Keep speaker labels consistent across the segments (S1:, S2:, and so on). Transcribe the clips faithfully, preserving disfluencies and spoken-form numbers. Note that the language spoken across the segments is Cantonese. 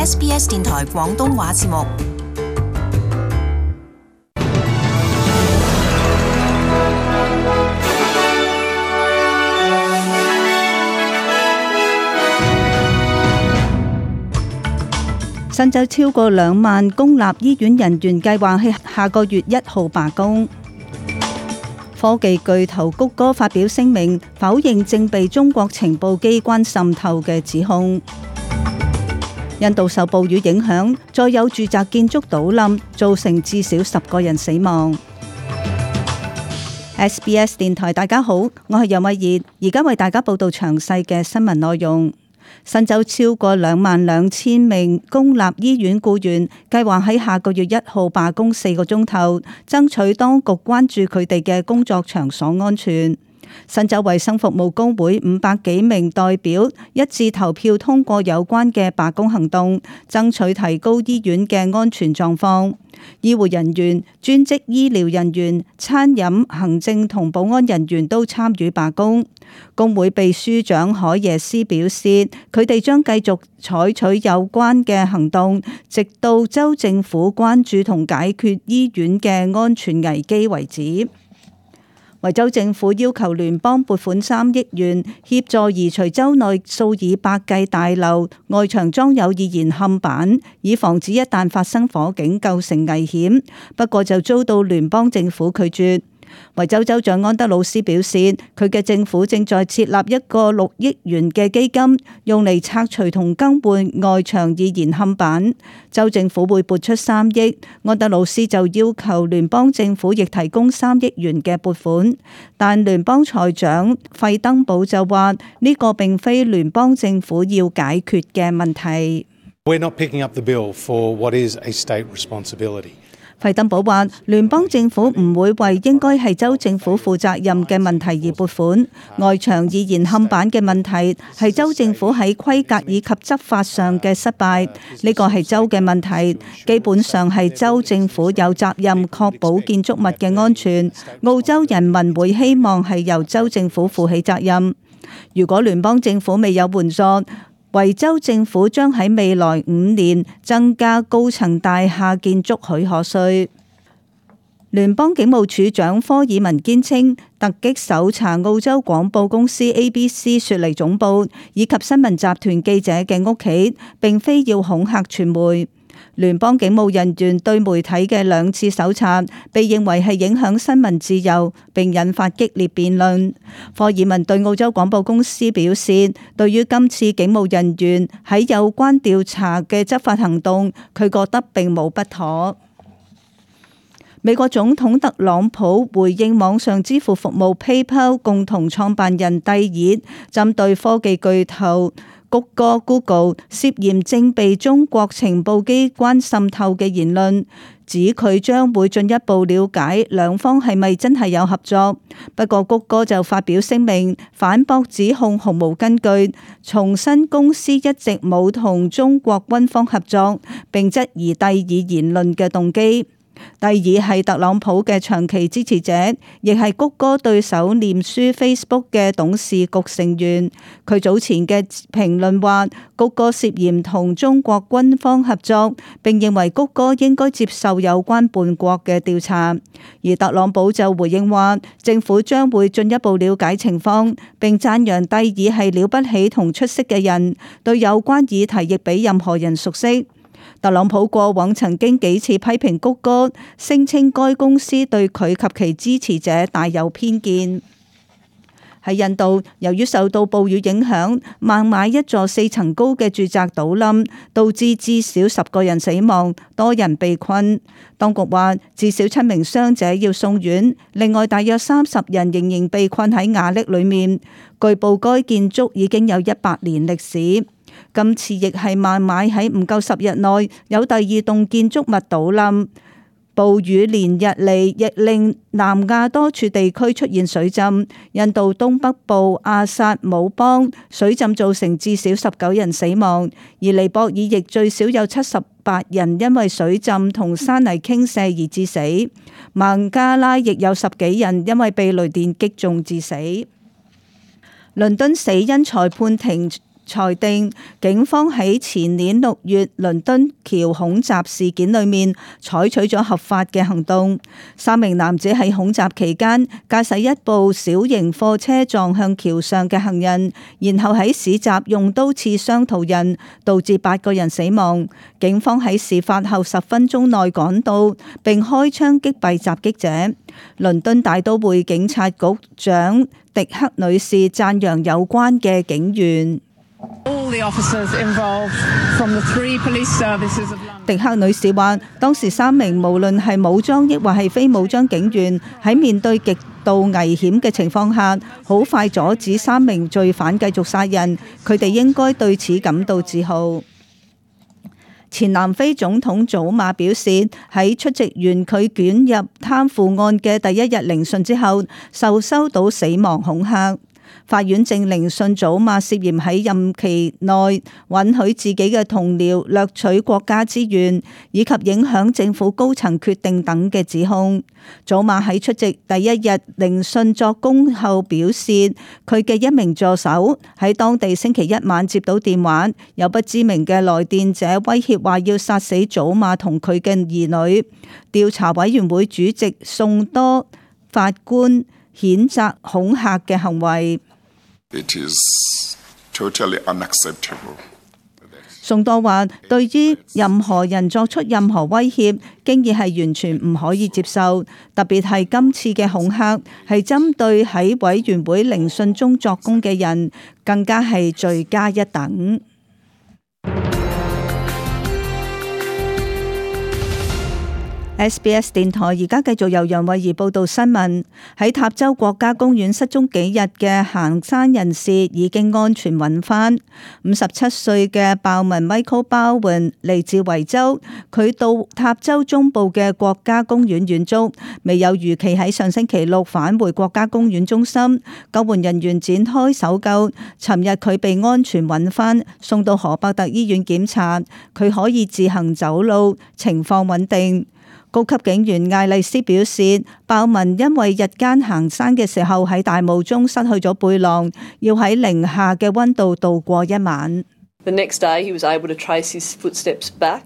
S1: S B S 電台廣東話節目。
S2: 新州超過兩萬公立醫院人員計劃喺下個月一號罷工。科技巨頭谷歌發表聲明，否認正被中國情報機關滲透嘅指控。印度受暴雨影響，再有住宅建築倒冧，造成至少十個人死亡。S B S 電台，大家好，我係楊慧儀，而家為大家報道詳細嘅新聞內容。新州超過兩萬兩千名公立醫院僱員計劃喺下個月一號罷工四個鐘頭，爭取當局關注佢哋嘅工作場所安全。新州衛生服務工會五百幾名代表一致投票通過有關嘅罷工行動，爭取提高醫院嘅安全狀況。醫護人員、專職醫療人員、餐飲、行政同保安人員都參與罷工。工會秘書長海耶斯表示，佢哋將繼續採取有關嘅行動，直到州政府關注同解決醫院嘅安全危機為止。維州政府要求聯邦撥款三億元協助移除州內數以百計大樓外牆裝有易燃嵌板，以防止一旦發生火警構成危險。不過就遭到聯邦政府拒絕。維州州長安德魯斯表示，佢嘅政府正在設立一個六億元嘅基金，用嚟拆除同更換外牆易燃嵌板。州政府會撥出三億，安德魯斯就要求聯邦政府亦提供三億元嘅撥款，但聯邦財長費登堡就話呢個並非聯邦政府要解決嘅問題。
S3: We're not picking up the bill for what is a state responsibility.
S2: 費登堡話：聯邦政府唔會為應該係州政府負責任嘅問題而撥款。外牆易燃嵌板嘅問題係州政府喺規格以及執法上嘅失敗，呢個係州嘅問題。基本上係州政府有責任確保建築物嘅安全。澳洲人民會希望係由州政府負起責任。如果聯邦政府未有援助，維州政府將喺未來五年增加高層大廈建築許可稅。聯邦警務處長科爾文堅稱，突擊搜查澳洲廣播公司 A B C 雪梨總部以及新聞集團記者嘅屋企，並非要恐嚇傳媒。聯邦警務人員對媒體嘅兩次搜查，被認為係影響新聞自由，並引發激烈辯論。科爾文對澳洲廣播公司表示，對於今次警務人員喺有關調查嘅執法行動，佢覺得並冇不妥。美國總統特朗普回應網上支付服務 PayPal 共同創辦人蒂爾針對科技巨頭谷歌 Google 涉嫌正被中國情報機關滲透嘅言論，指佢將會進一步了解兩方係咪真係有合作。不過谷歌就發表聲明反駁指控毫無根據，重申公司一直冇同中國軍方合作，並質疑蒂爾言論嘅動機。蒂爾係特朗普嘅長期支持者，亦係谷歌對手臉書 Facebook 嘅董事局成員。佢早前嘅評論話，谷歌涉嫌同中國軍方合作，並認為谷歌應該接受有關叛國嘅調查。而特朗普就回應話，政府將會進一步了解情況，並讚揚蒂爾係了不起同出色嘅人，對有關議題亦比任何人熟悉。特朗普過往曾經幾次批評谷歌，聲稱該公司對佢及其支持者大有偏見。喺印度，由於受到暴雨影響，孟買一座四層高嘅住宅倒冧，導致至少十個人死亡，多人被困。當局話至少七名傷者要送院，另外大約三十人仍然被困喺瓦礫裏面。據報該建築已經有一百年歷史。今次亦係孟買喺唔夠十日內有第二棟建築物倒冧。暴雨連日嚟亦令南亞多處地區出現水浸，印度東北部阿薩姆邦水浸造成至少十九人死亡，而尼泊爾亦最少有七十八人因為水浸同山泥傾瀉而致死，孟加拉亦有十幾人因為被雷電擊中致死。倫敦死因裁判庭裁定警方喺前年六月倫敦橋恐襲事件裏面採取咗合法嘅行動。三名男子喺恐襲期間駕駛一部小型貨車撞向橋上嘅行人，然後喺市集用刀刺傷途人，導致八個人死亡。警方喺事發後十分鐘內趕到，並開槍擊斃襲擊者。倫敦大都會警察局長迪克女士讚揚有關嘅警員。迪克女士話，當時三名無論係武裝抑或係非武裝警員喺面對極度危險嘅情況下，好快阻止三名罪犯繼續殺人，佢哋應該對此感到自豪。前南非總統祖馬表示，喺出席完佢捲入貪腐案嘅第一日聆訊之後，受收到死亡恐嚇。法院正聆訊祖馬涉嫌喺任期內允許自己嘅同僚掠取國家資源，以及影響政府高層決定等嘅指控。祖馬喺出席第一日聆訊作供後表示，佢嘅一名助手喺當地星期一晚接到電話，有不知名嘅來電者威脅話要殺死祖馬同佢嘅兒女。調查委員會主席宋多法官譴責恐嚇嘅行為。
S4: It is totally unacceptable.
S2: 宋多話，對於任何人作出任何威脅，經已係完全唔可以接受，特別係今次嘅恐嚇係針對喺委員會聆訊中作供嘅人，更加係罪加一等。S B S 電台而家繼續由楊慧儀報道新聞。喺塔州國家公園失蹤幾日嘅行山人士已經安全揾返。五十七歲嘅鮑文 Michael Bowen 嚟自維州，佢到塔州中部嘅國家公園遠足，未有如期喺上星期六返回國家公園中心。救援人員展開搜救，尋日佢被安全揾返，送到荷伯特醫院檢查，佢可以自行走路，情況穩定。高級警員艾麗斯表示，鮑文因為日間行山嘅時候喺大霧中失去咗背囊，要喺零下嘅溫度度過一晚。
S5: The next day, he was able to trace his footsteps back.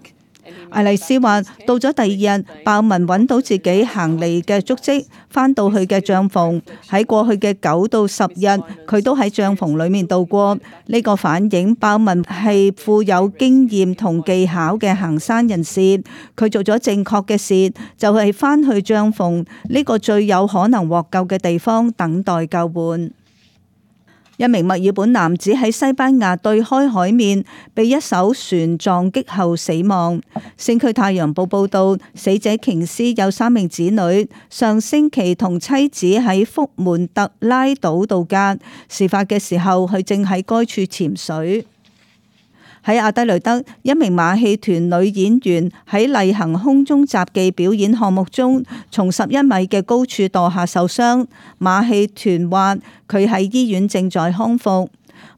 S2: 艾麗斯話，到咗第二日，鮑文揾到自己行嚟嘅足跡，返到去嘅帳篷。喺過去嘅九到十日，佢都喺帳篷裏面度過。呢、這個反映鮑文係富有經驗同技巧嘅行山人士。佢做咗正確嘅事，就係返去帳篷呢個最有可能獲救嘅地方，等待救援。一名墨爾本男子喺西班牙對開海面被一艘船撞擊後死亡。星區太陽報報道，死者瓊斯有三名子女，上星期同妻子喺福門特拉島度假。事發嘅時候，佢正喺該處潛水。喺阿德雷德，一名馬戲團女演員喺例行空中雜技表演項目中，從十一米嘅高處墮下受傷。馬戲團話佢喺醫院正在康復。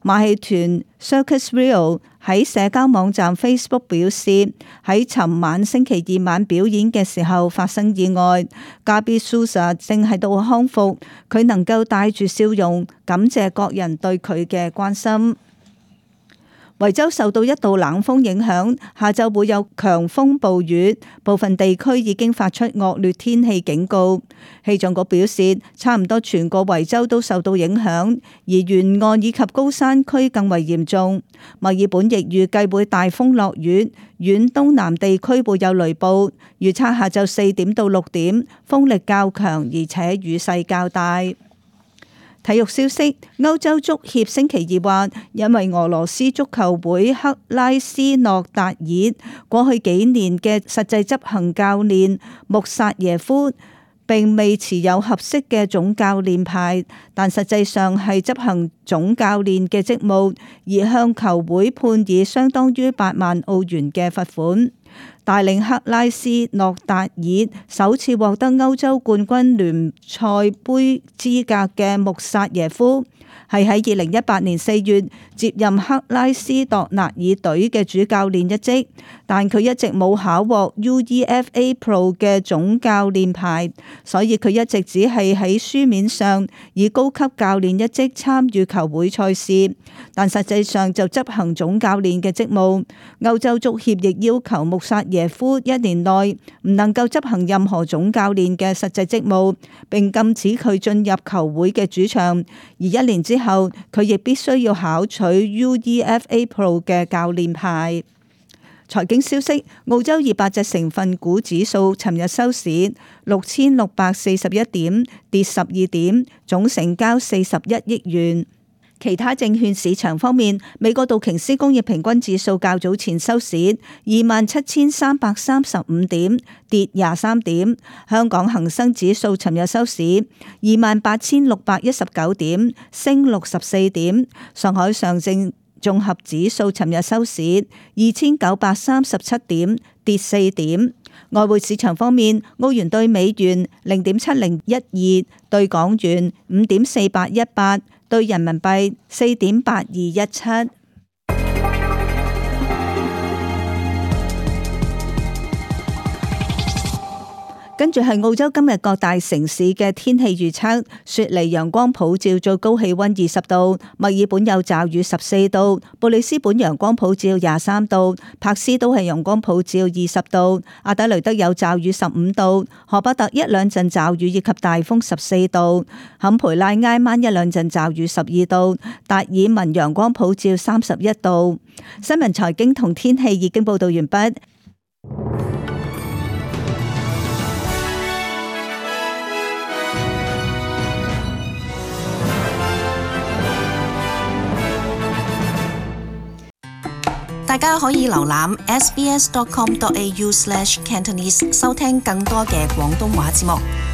S2: 馬戲團 Circus Rio 喺社交網站 Facebook 表示，喺尋晚星期二晚表演嘅時候發生意外。Gabi Souza 正喺度康復，佢能夠帶住笑容，感謝各人對佢嘅關心。維州受到一道冷鋒影響，下晝會有強風暴雨，部分地區已經發出惡劣天氣警告。氣象局表示，差唔多全個維州都受到影響，而沿岸以及高山區更為嚴重。墨爾本亦預計會大風落雨，遠東南地區會有雷暴。預測下晝四點到六點，風力較強，而且雨勢較大。體育消息，歐洲足協星期二話，因為俄羅斯足球會克拉斯諾達爾過去幾年嘅實際執行教練穆薩耶夫並未持有合適嘅總教練牌，但實際上係執行總教練嘅職務，而向球會判以相當於八萬澳元嘅罰款。帶領克拉斯諾達爾首次獲得歐洲冠軍聯賽盃資格嘅穆薩耶夫，係喺二零一八年四月接任克拉斯諾達爾隊嘅主教練一職，但佢一直冇考獲 U E F A Pro 嘅總教練牌，所以佢一直只係喺書面上以高級教練一職參與球球會賽事，但實際上就執行總教練嘅職務。歐洲足協亦要求穆薩耶夫一年內唔能夠執行任何總教練嘅實際職務，並禁止佢進入球會嘅主場。而一年之後，佢亦必須要考取 U E F A Pro 嘅教練牌。財經消息：澳洲二百隻成分股指數尋日收市六千六百四十一點，跌十二點，總成交四十一億元。其他證券市場方面，美國道瓊斯工業平均指數較早前收市二萬七千三百三十五點，跌廿三點。香港恒生指數尋日收市二萬八千六百一十九點，升六十四點。上海上證綜合指數尋日收市二千九百三十七點，跌四點。外匯市場方面，澳元兌美元零點七零一二，兌港元五點四八一八，兌人民幣四點八二一七。跟住係澳洲今日各大城市嘅天氣預測：雪梨陽光普照，最高氣溫二十度；墨爾本有驟雨十四度；布里斯本陽光普照廿三度；柏斯都係陽光普照二十度；阿德雷德有驟雨十五度；荷伯特一兩陣驟雨以及大風十四度；坎培拉挨晚一兩陣驟雨十二度；達爾文陽光普照三十一度。新聞財經同天氣已經報道完畢。
S1: 大家可以瀏覽 s b s dot com dot a u slash cantonese 收聽更多嘅廣東話節目。